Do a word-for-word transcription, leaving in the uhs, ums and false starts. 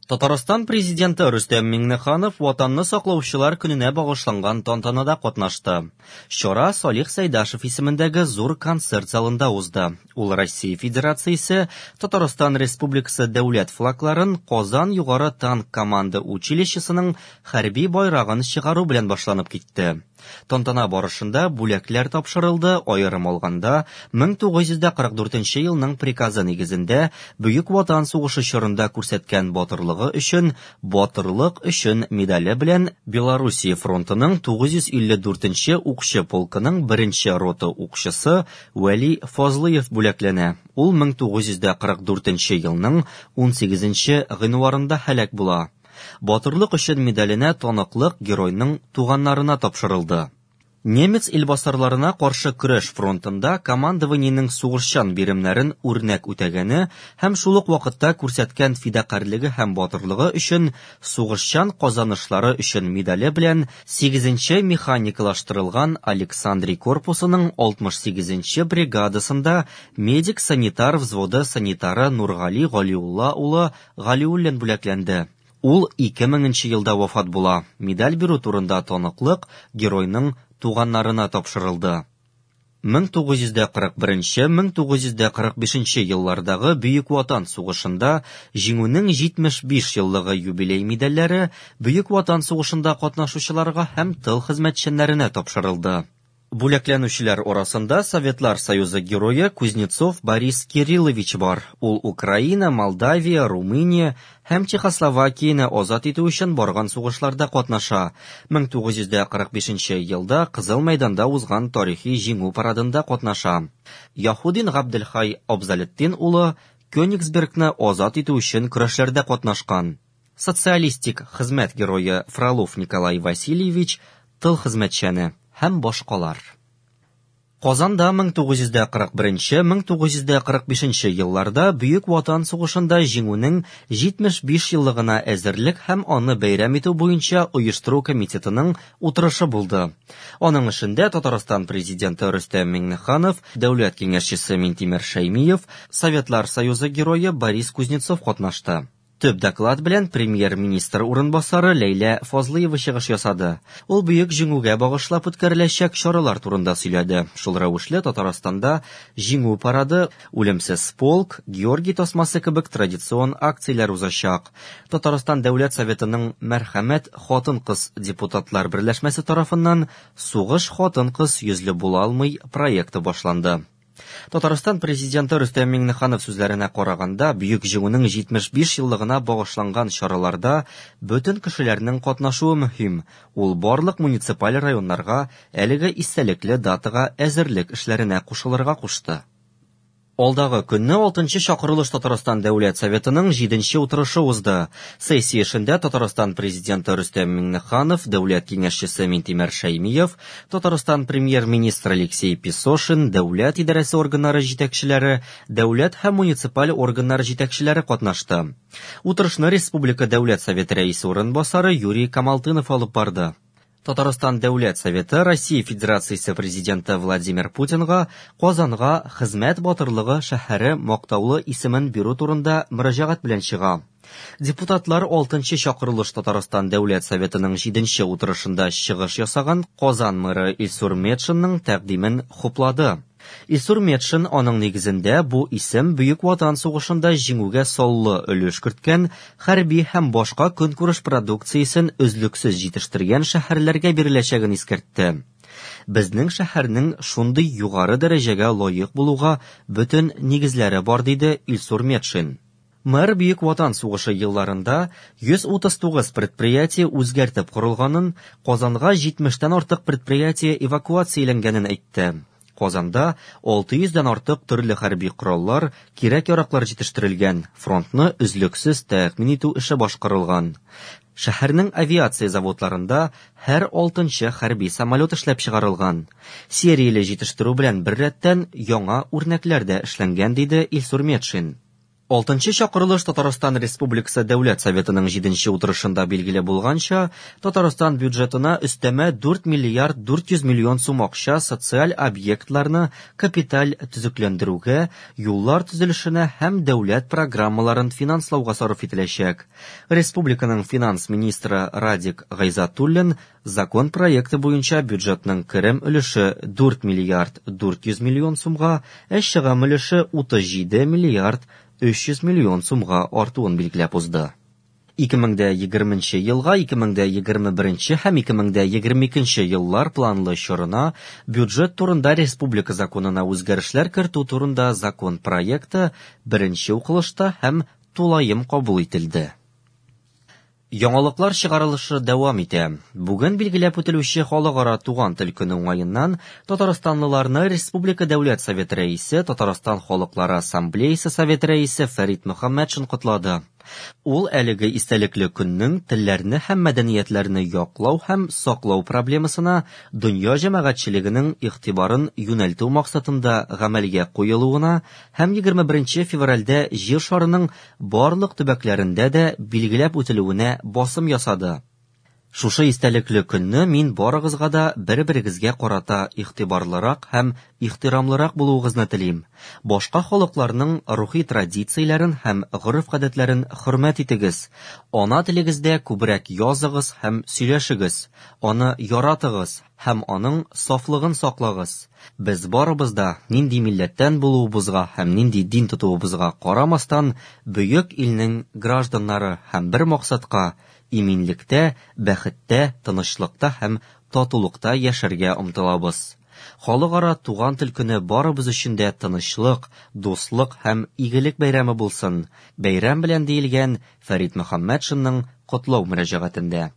Татарстан Президенты Рөстәм Миңнеханов Ватанны саклаучылар көненә багышланган тантанада катнашты. Чара Салих Сәйдашев исемендәге зур концерт залында узды. Ул Россия Федерациясе, Татарстан Республикасы дәүләт флагларын Казан югары танк команда училищесының хәрби байрагын чыгару белән башланып китте. Тантана барышында бүләкләр тапшырылды, аерым алганда, мең тугыз йөз кырык дүртенче елның приказы нигезендә Бөек Ватан сугышы чорында күрсәткән батырлыгы өчен Батырлык өчен медале белән Белоруссия фронтының тугыз йөз илле дүртенче укчы полкының беренче рота укчысы Вәли Фазлыев бүләкләнә. Ул мең тугыз йөз кырык дүртенче елның унсигезенче гыйнварында һәлак була. Батырлык өчен медаленә таныклык геройның туганнарына тапшырылды. Немец илбасарларына каршы көрәш фронтында командованиенең сугышчан биремнәрен үрнәк үтәгәне һәм шул ук вакытта күрсәткән фидакарьлеге һәм батырлыгы өчен сугышчан казанышлары өчен медале белән сигезенче механикалаштырылган Александрий корпусының алтмыш сигезенче бригадасында медик-санитар взводы санитары Нургали Галиулла улы Галиуллин бүләкләнде. Ул ике меңенче елда вафат була. Медаль бирү турында таныклык геройның туганнарына тапшырылды. Мең тугыз йөз кырык беренче, мең тугыз йөз кырык бишенче еллардагы Бөек Ватан сугышында Җиңүнең җитмеш биш еллыгы юбилей медальләре Бөек Ватан сугышында катнашучыларга һәм тыл хезмәтчәннәренә тапшырылды. Бүләкләнүчеләр арасында Советлар Союзы герое Кузнецов Борис Кириллович бар. Ул Украина, Молдавия, Румыния һәм Чехословакияне азат итү өчен барган сугышларда катнаша. Мең тугыз йөз кырык бишенче елда Кызыл мәйданда узган тарихи җиңү парадында катнаша. Яһудин Габделхай Абзалетдин улы Кёнигсбергны азат итү өчен көрәшләрдә катнашкан. Социалистик хезмәт герое Фролов Николай Васильевич тыл хезмәтчәне һәм башкалар. Казанда мең тугыз йөз кырык беренче, мең тугыз йөз кырык бишенче елларда Бөек Ватан сугышында җиңүнең җитмеш биш еллыгына әзерлек һәм аны бәйрәм итү буенча оештыру комитетының утырышы булды. Аның эшендә Татарстан президенты Рөстәм Миңнеханов, дәүләт киңәшчесе Минтимер Шәймиев, Советлар Союзы герое Борис Кузнецов катнашты. Төп доклад белән премьер-министр урынбасары Ләйлә Фазлыева чыгыш ясады. Ул бөек җиңүгә багышлап үткәреләчәк чаралар турында сөйләде. Шул рәвешле Татарстанда җиңү парады, үлемсез полк, Георгий тасмасы кебек традицион акцияләр узачак. Татарстан Дәүләт Советының Мәрхәмәт хатын-кыз депутатлар берләшмәсе тарафыннан Сугыш хатын-кыз йөзле була алмый проекты башланды. Татарстан президенты Рөстәм Миңнеханов сүзләренә караганда, Бөек Җиңүнең җитмеш биш еллыгына багышланган чараларда бөтен кешеләрнең катнашуы мөһим. Ул барлык муниципаль районнарга әлеге истәлекле датага әзерлек эшләренә кушылырга кушты. Алдагы көнне алтынчы чакырылыш Татарстан Дәүләт Советының җиденче утырышы узды. Сессия эшендә Татарстан президенты Рөстәм Миңнеханов, Дәүләт киңәшчесе Минтимер Шәймиев, Татарстан премьер-министры Алексей Песошин, дәүләт идарәсе органнары җитәкчеләре, дәүләт һәм муниципаль органнар җитәкчеләре катнашты. Утырышны Республика Дәүләт Советы рәисе урынбасары Юрий Камалтынов алып барды. Татарстан Дәүләт Советы Россия Федерациясе президенты Владимир Путинга Казанга хезмәт батырлыгы шәһәре мактаулы исемен бирү турында мөрәҗәгать белән чыга. Депутатлар алтынчы чакырылыш Татарстан Дәүләт Советының җиденче утырышында чыгыш ясаган Казан мэры Илсур Метшинның тәкъдимен хуплады. Илсур Метшин аның нигезендә бу исем Бөек Ватан сугышында җиңүгә саллы өлеш керткән хәрби һәм башка көнкүреш продукциясен өзлексез җитештергән шәһәрләргә биреләчәген искәртте. Безнең шәһәрнең шундый югары дәрәҗәгә лаек булуга бөтен нигезләре бар, диде Илсур Метшин. Мэр Бөек Ватан сугышы елларында йөз утыз тугыз предприятие үзгәртеп корылганын, Казанга җитмештән артык предприятие эвакуацияләнгәнен әйтте. Казанда алты йөздән артык төрле хәрби кораллар, кирәк-яраклар җитештерелгән, фронтны өзлексез тәэмин итү эше башкарылган. Шәһәрнең авиация заводларында һәр алтынчы хәрби самолет эшләп чыгарылган. Серияле җитештерү белән беррәттән яңа үрнәкләр дә эшләнгән, диде Илсур Метшин. Алтынчы чакырылыш Татарстан Республикасы Дәүләт Советының җиденче утырышында билгеле булганча, Татарстан бюджетына өстәмә дүрт миллиард дүрт йөз миллион сум акча социаль объектларны капиталь төзекләндерүгә, юллар төзелешенә һәм дәүләт программаларын финанслауга сарыф ителәчәк. Республиканың финанс министры Радик Гайзатуллин закон проекты буенча бюджетның керем өлеше дүрт миллиард дүрт йөз миллион сумга, ә чыгым өлеше утыз җиде миллиард өч йөз миллион сумга артуын билгеләп узды. Ике мең дә егерменче елга, ике мең дә егерме беренче һәм ике мең дә егерме икенче еллар планлы чорына бюджет турында республика законына үзгәрешләр кертү турында закон проекты беренче укылышта һәм тулаем кабул ителде. Яңалыклар чыгарылышы дәвам итә. Бүген билгеләп үтелүче Халыкара туган тел көне уңаеннан татарстанлыларны Республика Дәүләт Советы рәисе, Татарстан Халыклары Ассамблеясы Советы рәисе Фәрит Мөхәммәтшин котлады. Ул әлеге истәлекле көннең телләрне һәм мәдәниятләрне яклау һәм саклау проблемасына дөнья җәмәгатьчелегенең игътибарын юнәлтү максатында гамәлгә куелуына һәм егерме беренче февральдә Җир шарының барлык төбәкләрендә дә билгеләп үтелүенә басым ясады. Шушы истәлекле көнне мин барыгызга да бер-берегезгә карата игътибарлырак һәм ихтирамлырак булуыгызны телим. Башка халыкларның рухи традицияләрен һәм гореф-гадәтләрен хөрмәт итегез. Ана телегездә күбрәк языгыз һәм сөйләшегез. Аны яратыгыз һәм аның сафлыгын саклагыз. Без барыбыз да нинди милләттән булуыбызга һәм нинди дин тотуыбызга карамастан, бөек илнең гражданнары һәм бер максатка иминлектә, бәхеттә, тынычлыкта һәм татулыкта яшәргә омтылабыз. Халыкара туган тел көне барыбыз өчен дә тынычлык, дуслык һәм игелек бәйрәме булсын. Бәйрәм белән диелгән Фәрит Мөхәммәтшинның котлау мөрәҗәгатендә.